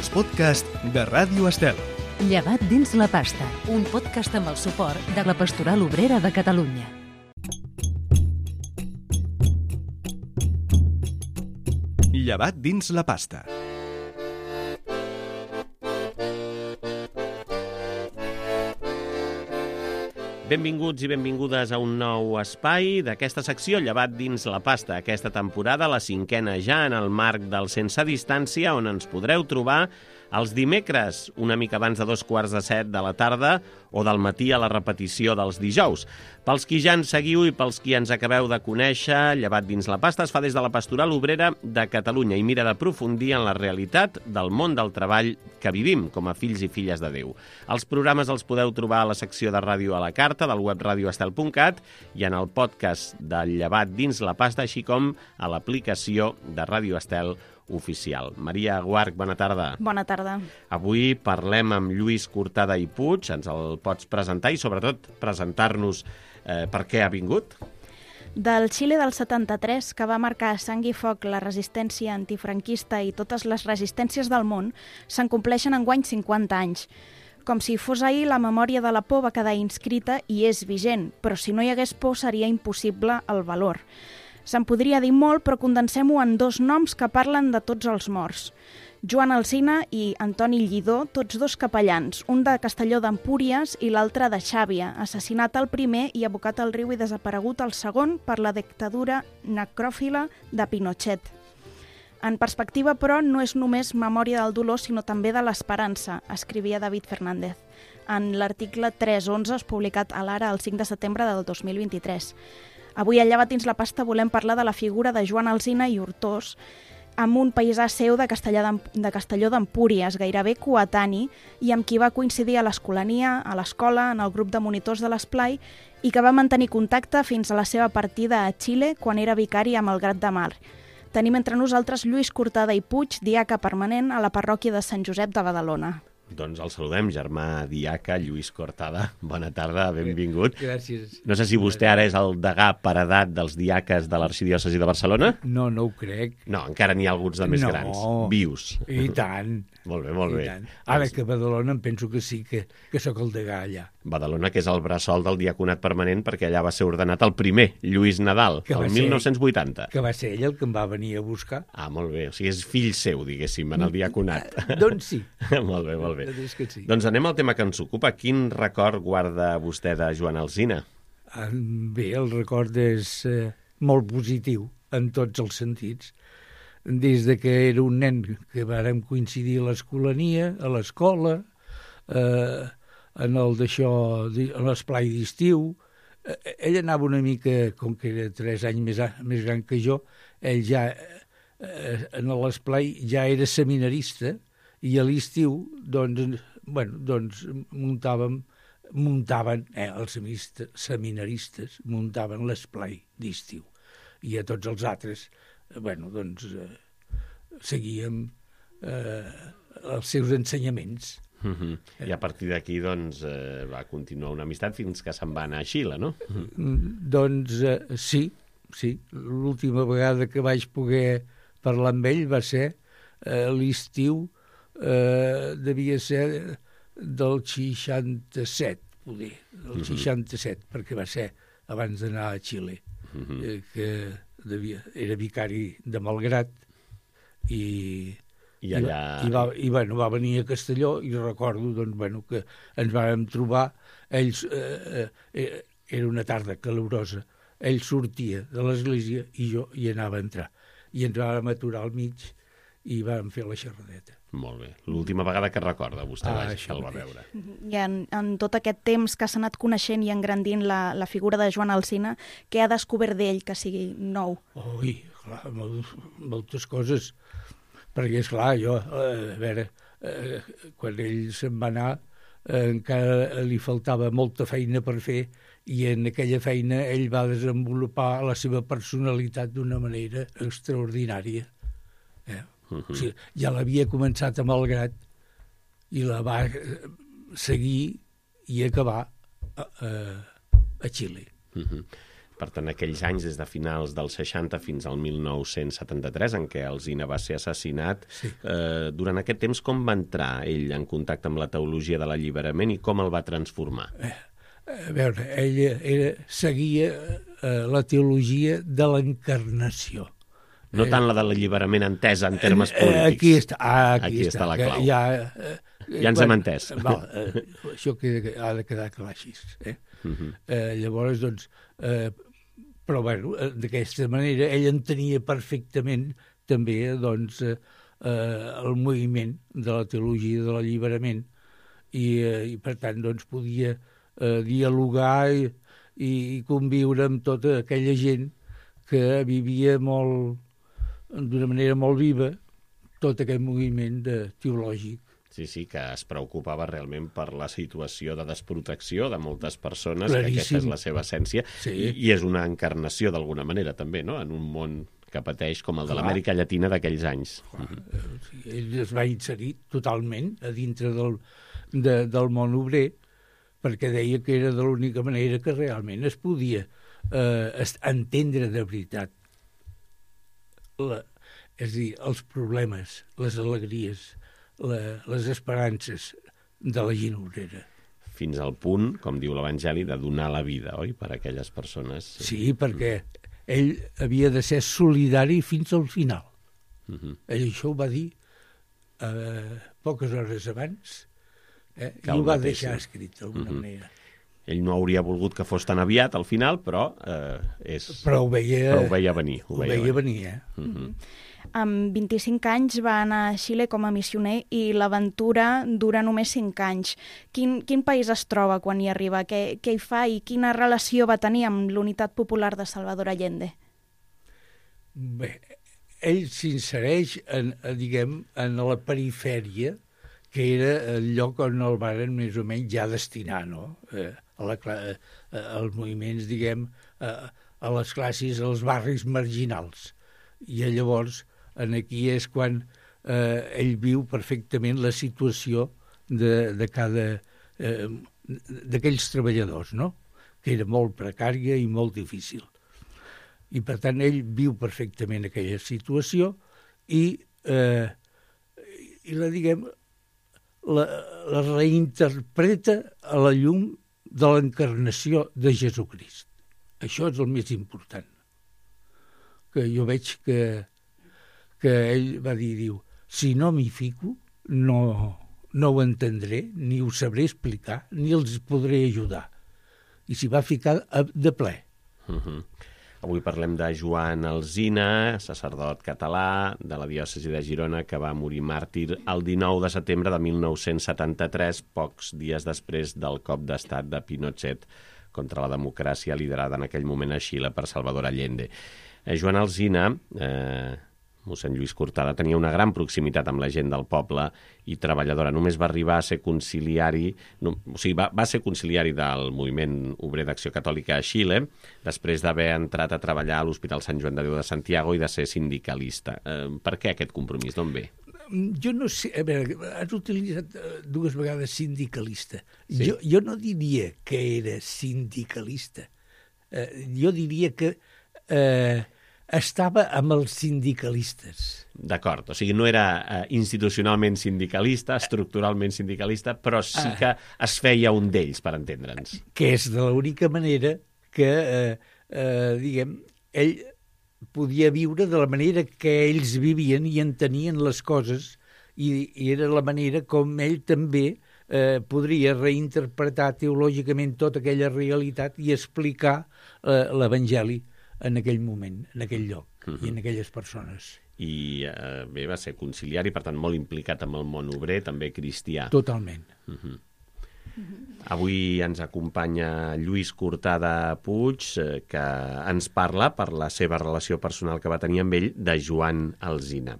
els podcasts de Ràdio Estel. Llevat dins la pasta, un podcast amb el suport de la Pastoral Obrera de Catalunya. Llevat dins la pasta. Benvinguts i benvingudes a un nou espai d'aquesta secció Llevat dins la pasta. Aquesta temporada, la 5a ja, en el marc del Sense Distància, on ens podreu trobar els dimecres, una mica abans de 6:45 de la tarda, o del matí a la repetició dels dijous. Pels qui ja ens seguiu i pels qui ens acabeu de conèixer, Llevat dins la pasta es fa des de la Pastoral Obrera de Catalunya i mira d'aprofundir en la realitat del món del treball que vivim com a fills i filles de Déu. Els programes els podeu trobar a la secció de ràdio a la carta del web radioestel.cat i en el podcast del Llevat dins la pasta, així com a l'aplicació de Ràdio Estel oficial. Maria Guarch, bona tarda. Bona tarda. Avui parlem amb Lluís Cortada i Puig. Ens el pots presentar i, sobretot, presentar-nos per què ha vingut? Del Xile del 73, que va marcar a sang i foc la resistència antifranquista i totes les resistències del món, se'n compleixen enguany 50 anys. Com si fos ahir, la memòria de la por va quedar inscrita i és vigent, però si no hi hagués por seria impossible el valor. Se'n podria dir molt, però condensem-ho en dos noms que parlen de tots els morts. Joan Alsina i Antoni Lledó, tots dos capellans, un de Castelló d'Empúries i l'altre de Xàbia, assassinat el primer i abocat al riu i desaparegut el segon per la dictadura necròfila de Pinochet. En perspectiva, però, no és només memòria del dolor, sinó també de l'esperança, escrivia David Fernández, en l'article 311 publicat a l'Ara el 5 de setembre del 2023. Avui a Llevat dins la pasta volem parlar de la figura de Joan Alsina i Hortós, amb un paisà seu de Castelló d'Empúries, gairebé coetani, i amb qui va coincidir a l'Escolania, a l'escola, en el grup de monitors de l'Esplai, i que va mantenir contacte fins a la seva partida a Xile quan era vicari a Malgrat de Mar. Tenim entre nosaltres Lluís Cortada i Puig, diaca permanent a la parròquia de Sant Josep de Badalona. Doncs el saludem, germà diaca Lluís Cortada. Bona tarda, benvingut. Gràcies. No sé si vostè ara és el degà per edat dels diaques de l'Arxidiòcesi de Barcelona? No ho crec. No, encara n'hi ha alguns de més grans, vius. I tant. Molt bé, molt bé. Ara que a Badalona em penso que sí, que sóc el degà allà. Badalona, que és el bressol del diaconat permanent, perquè allà va ser ordenat el primer, Lluís Nadal, el 1980. Que va ser ell el que em va venir a buscar. Ah, molt bé. O sigui, és fill seu, diguéssim, en el diaconat. Doncs sí. Molt bé, molt bé. Que sí. Doncs anem al tema que ens ocupa. Quin record guarda vostè de Joan Alsina? Bé, el record és molt positiu en tots els sentits. Des de que era un nen que vàrem coincidir a l'Escolania, a l'escola, en l'esplai d'estiu. Ell anava una mica, com que era 3 anys més gran que jo, ell ja en l'esplai ja era seminarista i a l'estiu muntaven els seminaristes muntaven l'esplai d'estiu i a tots els altres seguíem els seus ensenyaments. I a partir d'aquí va continuar una amistat fins que se'n va anar a Xile, no? Sí. L'última vegada que vaig poder parlar amb ell va ser l'estiu, devia ser del 67, poder, del 67, perquè va ser abans d'anar a Xile, que era vicari de Malgrat i va venir a Castelló i recordo que ens vàrem trobar. Era una tarda calorosa, ell sortia de l'església i jo hi anava a entrar i ens vàrem aturar al mig i vam fer la xerradeta. Molt bé. L'última vegada que recorda vostè que el va veure. I en tot aquest temps que s'ha anat coneixent i engrandint la figura de Joan Alsina, què ha descobert d'ell que sigui nou? Ui, clar, moltes coses. Perquè, esclar, jo, quan ell se'n va anar, encara li faltava molta feina per fer i en aquella feina ell va desenvolupar la seva personalitat d'una manera extraordinària. O sigui, ja l'havia començat a Malgrat i la va seguir i acabar a Xile. Per tant, aquells anys, des de finals dels 60 fins al 1973, en què Alsina va ser assassinat, durant aquest temps com va entrar ell en contacte amb la teologia de l'alliberament i com el va transformar? A veure, ell seguia la teologia de l'encarnació. No tant la de l'alliberament entesa en termes polítics. Aquí està la clau. Ja ens hem entès. Això ha de quedar clar així. Llavors, doncs... Però, bueno, d'aquesta manera, ell entenia perfectament també, doncs, el moviment de la teologia de l'alliberament i per tant, doncs, podia dialogar i conviure amb tota aquella gent que vivia d'una manera molt viva tot aquest moviment teològic. Sí, que es preocupava realment per la situació de desprotecció de moltes persones, Claríssim. Que aquesta és la seva essència, Sí. i és una encarnació d'alguna manera també, no?, en un món que pateix com el de l'Amèrica Llatina d'aquells anys. Ell es va inserir totalment a dintre del món obrer, perquè deia que era de l'única manera que realment es podia entendre de veritat és a dir, els problemes, les alegries, les esperances de la gent obrera. Fins al punt, com diu l'Evangeli, de donar la vida, oi?, per a aquelles persones. Sí, perquè ell havia de ser solidari fins al final. Ell això ho va dir poques hores abans i ho va deixar escrit d'alguna manera. Ell no hauria volgut que fos tan aviat al final, però ho veia venir. Ho veia venir. Amb 25 anys va anar a Xile com a missioner i l'aventura dura només 5 anys. Quin país es troba quan hi arriba? Què hi fa i quina relació va tenir amb l'Unitat Popular de Salvador Allende? Bé, ell s'insereix en la perifèria, que era el lloc on el varen més o menys ja destinar, no? Als moviments, a les classes, als barris marginals. I llavors, aquí és quan ell viu perfectament la situació de cada d'aquells treballadors, no?, que era molt precària i molt difícil. I, per tant, ell viu perfectament aquella situació i la reinterpreta a la llum de l'encarnació de Jesucrist. Això és el més important. Que jo veig que ell va dir, si no m'hi fico, no ho entendré, ni ho sabré explicar, ni els podré ajudar. I s'hi va ficar de ple. Avui parlem de Joan Alsina, sacerdot català de la diòcesi de Girona, que va morir màrtir el 19 de setembre de 1973, pocs dies després del cop d'estat de Pinochet contra la democràcia liderada en aquell moment a Xile per Salvador Allende. Joan Alsina, mossèn Lluís Cortada, tenia una gran proximitat amb la gent del poble i treballadora. Només va arribar a ser conciliari, va ser conciliari del moviment obrer d'Acció Catòlica a Xile, després d'haver entrat a treballar a l'Hospital Sant Joan de Déu de Santiago i de ser sindicalista. Per què aquest compromís? D'on ve? Jo no sé, a veure, has utilitzat 2 vegades sindicalista. Sí. Jo no diria que era sindicalista. Jo diria que estava amb els sindicalistes. D'acord, o sigui, no era institucionalment sindicalista, estructuralment sindicalista, però sí que es feia un d'ells, per entendre'ns. Que és de l'única manera que, ell podia viure de la manera que ells vivien i entenien les coses, i era la manera com ell també podria reinterpretar teològicament tota aquella realitat i explicar l'Evangeli en aquell moment, en aquell lloc i en aquelles persones. I bé, va ser conciliari, per tant, molt implicat amb el món obrer, també cristià. Totalment. Avui ens acompanya Lluís Cortada Puig, que ens parla, per la seva relació personal que va tenir amb ell, de Joan Alsina.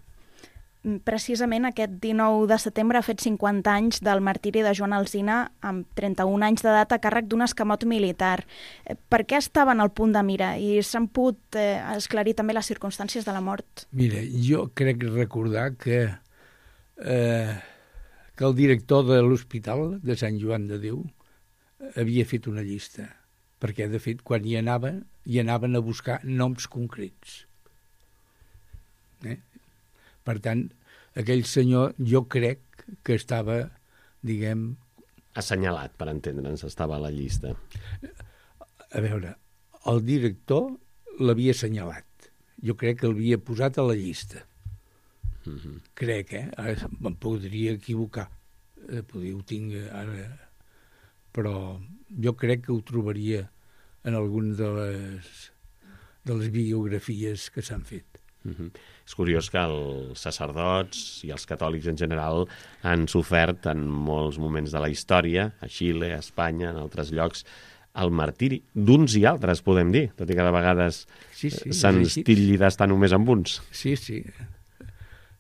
Precisament aquest 19 de setembre ha fet 50 anys del martiri de Joan Alsina, amb 31 anys d'edat a càrrec d'un escamot militar. Per què estaven al punt de mira? I s'han pogut esclarir també les circumstàncies de la mort? Mira, jo crec recordar que el director de l'Hospital de Sant Joan de Déu havia fet una llista, perquè, de fet, quan hi anava i anaven a buscar noms concrets. Per tant, aquell senyor jo crec que estava, diguem... Assenyalat, per entendre'ns, estava a la llista. A veure, el director l'havia assenyalat. Jo crec que l'havia posat a la llista. Crec, Ara me'n podria equivocar. Ho tinc ara... Però jo crec que ho trobaria en alguna de les biografies que s'han fet. És curiós que els sacerdots i els catòlics en general han sofert en molts moments de la història, a Xile, a Espanya, en altres llocs, el martiri d'uns i altres, podem dir, tot i que de vegades se'ns titlli d'estar només amb uns. Sí.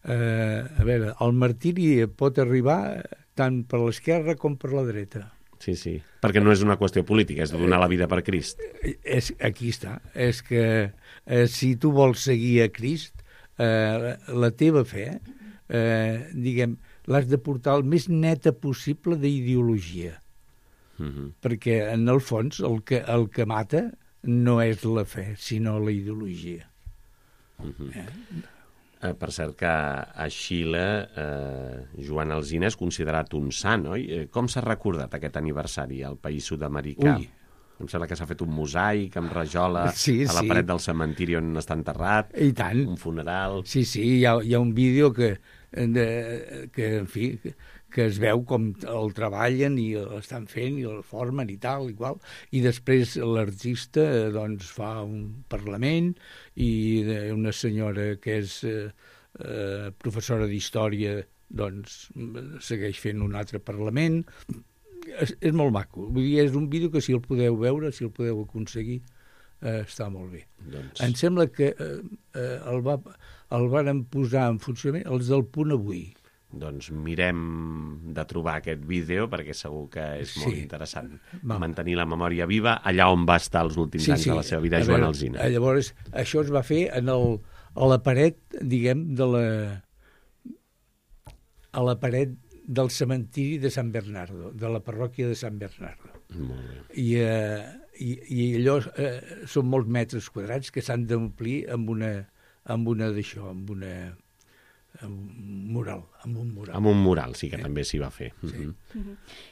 A veure, el martiri pot arribar tant per l'esquerra com per la dreta. Sí, perquè no és una qüestió política, és de donar la vida per Crist. Aquí està. És que si tu vols seguir a Crist, la teva fe, diguem, l'has de portar el més neta possible d'ideologia. Perquè, en el fons, el que mata no és la fe, sinó la ideologia. Per cert que a Xile Joan Alsina és considerat un sant, oi? Com s'ha recordat aquest aniversari al país sud-americà? Em sembla que s'ha fet un mosaic amb rajola a la paret del cementiri on està enterrat. I tant. Un funeral. Sí, hi ha un vídeo que en fi, que es veu com el treballen i l'estan fent i el formen i tal, igual. I després l'artista doncs fa un parlament i una senyora que és professora d'història doncs segueix fent un altre parlament. És molt maco. Vull dir, és un vídeo que si el podeu veure, si el podeu aconseguir, està molt bé. Em sembla que el varen posar en funcionament els del Punt Avui. Doncs mirem de trobar aquest vídeo perquè segur que és molt interessant. Mantenir la memòria viva allà on va estar els últims anys de la seva vida Joan Alsina. Llavors, això es va fer a la paret, diguem, a la paret del cementiri de San Bernardo, de la parròquia de San Bernardo. Molt bé. I allò són molts metres quadrats que s'han d'omplir amb una d'això, amb un mural. Amb un mural, sí que també s'hi va fer.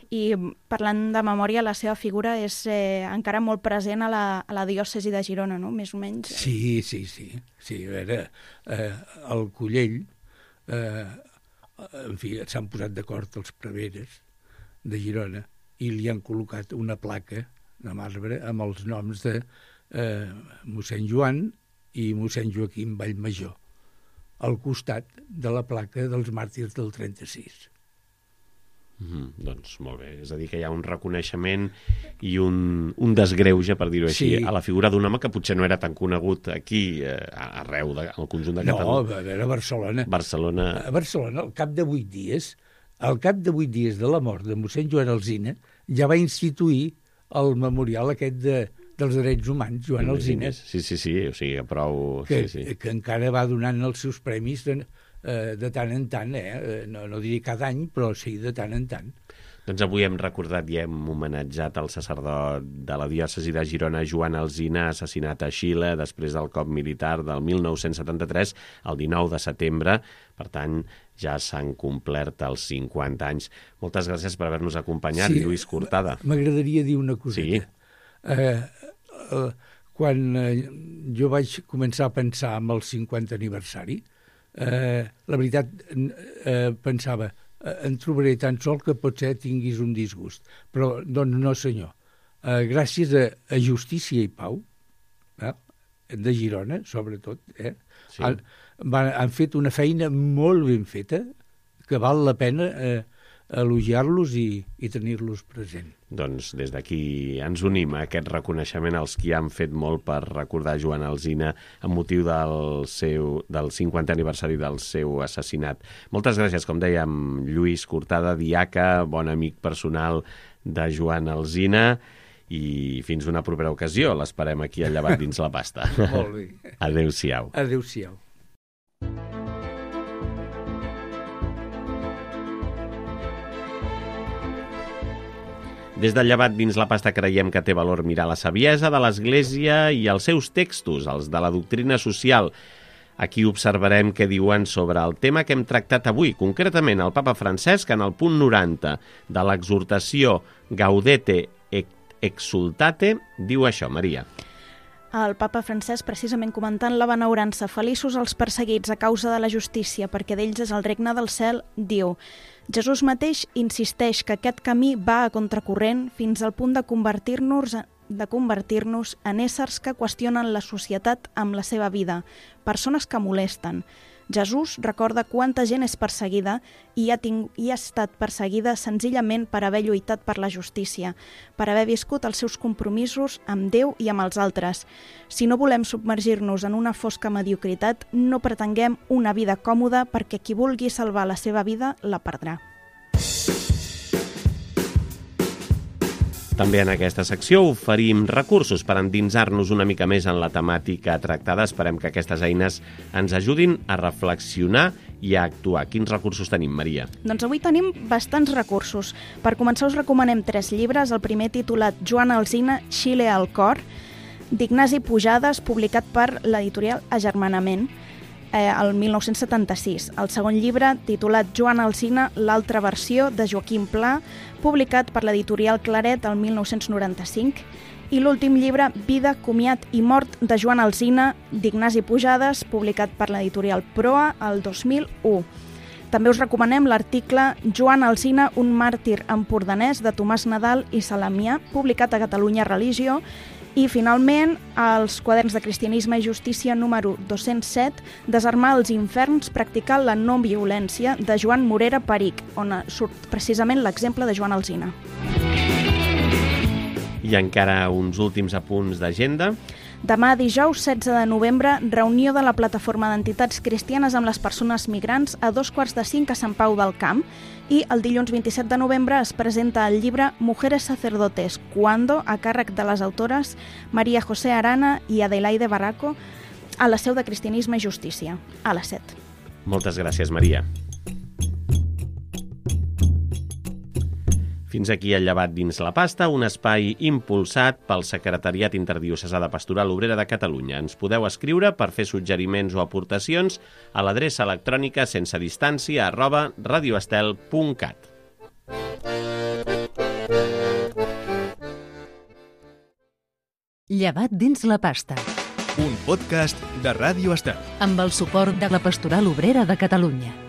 I parlant de memòria, la seva figura és encara molt present a la diòcesi de Girona, no? Més o menys. Sí. A veure, el Collell, en fi, s'han posat d'acord els preveres de Girona i li han col·locat una placa de marbre amb els noms de mossèn Joan i mossèn Joaquim Vallmajor al costat de la placa dels màrtirs del 36. Doncs molt bé, és a dir que hi ha un reconeixement i un desgreuge, per dir-ho així, a la figura d'un home que potser no era tan conegut aquí, arreu al conjunt de Catalunya. No, a veure, a Barcelona. A Barcelona, al cap de 8 dies de la mort de mossèn Joan Alsina, ja va instituir el memorial aquest dels drets humans, Joan Alsina. Sí, o sigui, prou... Que encara va donant els seus premis de tant en tant, no diré cada any, però sí de tant en tant. Doncs avui hem recordat i hem homenatjat el sacerdot de la diòcesi de Girona, Joan Alsina, assassinat a Xile després del cop militar del 1973, el 19 de setembre. Per tant, ja s'han complert els 50 anys. Moltes gràcies per haver-nos acompanyat, Lluís Cortada. M'agradaria dir una coseta. Quan jo vaig començar a pensar en el 50 aniversari, la veritat pensava en trobaré tan sol que potser tinguis un disgust, però doncs no senyor, gràcies a Justícia i Pau de Girona sobretot han fet una feina molt ben feta que val la pena elogiar-los i tenir-los present. Doncs des d'aquí ens unim a aquest reconeixement als qui han fet molt per recordar Joan Alsina amb motiu del 50è aniversari del seu assassinat. Moltes gràcies, com dèiem, Lluís Cortada, diaca, bon amic personal de Joan Alsina, i fins una propera ocasió. L'esperem aquí al Llevat dins la pasta. Molt bé. Adéu-siau. Adéu-siau. Des del Llevat dins la pasta creiem que té valor mirar la saviesa de l'Església i els seus textos, els de la doctrina social. Aquí observarem què diuen sobre el tema que hem tractat avui, concretament el papa Francesc en el punt 90 de l'exhortació Gaudete et Exultate, diu això, Maria. El papa Francesc, precisament comentant la benaurança, feliços els perseguits a causa de la justícia, perquè d'ells és el regne del cel, diu: Jesús mateix insisteix que aquest camí va a contracorrent fins al punt de convertir-nos en éssers que qüestionen la societat amb la seva vida, persones que molesten. Jesús recorda quanta gent és perseguida i ha estat perseguida senzillament per haver lluitat per la justícia, per haver viscut els seus compromisos amb Déu i amb els altres. Si no volem submergir-nos en una fosca mediocritat, no pretenguem una vida còmoda, perquè qui vulgui salvar la seva vida la perdrà. També en aquesta secció oferim recursos per endinsar-nos una mica més en la temàtica tractada. Esperem que aquestes eines ens ajudin a reflexionar i a actuar. Quins recursos tenim, Maria? Doncs avui tenim bastants recursos. Per començar us recomanem 3 llibres. El primer titulat Joan Alsina, Xile al cor, d'Ignasi Pujades, publicat per l'editorial Agermanament, el 1976. El segon llibre, titulat Joan Alsina, l'altra versió, de Joaquim Pla, publicat per l'editorial Claret el 1995. I l'últim llibre, Vida, comiat i mort, de Joan Alsina, d'Ignasi Pujades, publicat per l'editorial Proa el 2001. També us recomanem l'article Joan Alsina, un màrtir empordanès, de Tomàs Nadal i Salamià, publicat a Catalunya Religió. I, finalment, els quaderns de Cristianisme i Justícia número 207, Desarmar els inferns, practicar la no violència, de Joan Morera Peric, on surt precisament l'exemple de Joan Alsina. I encara uns últims apunts d'agenda. Demà, dijous 16 de novembre, reunió de la Plataforma d'Entitats Cristianes amb les Persones Migrants a 2:45 a Sant Pau del Camp. I el dilluns 27 de novembre es presenta el llibre Mujeres sacerdotes, ¿Cuándo?, a càrrec de les autores María José Arana i Adelaide Barraco, a la seu de Cristianisme i Justícia, a les 7. Moltes gràcies, Maria. Fins aquí el Llevat dins la pasta, un espai impulsat pel Secretariat Interdiocesà de Pastoral Obrera de Catalunya. Ens podeu escriure per fer suggeriments o aportacions a l'adreça electrònica sensedistància@radioestel.cat. Llevat dins la pasta, Un podcast de Ràdio Estel. amb el suport de la Pastoral Obrera de Catalunya.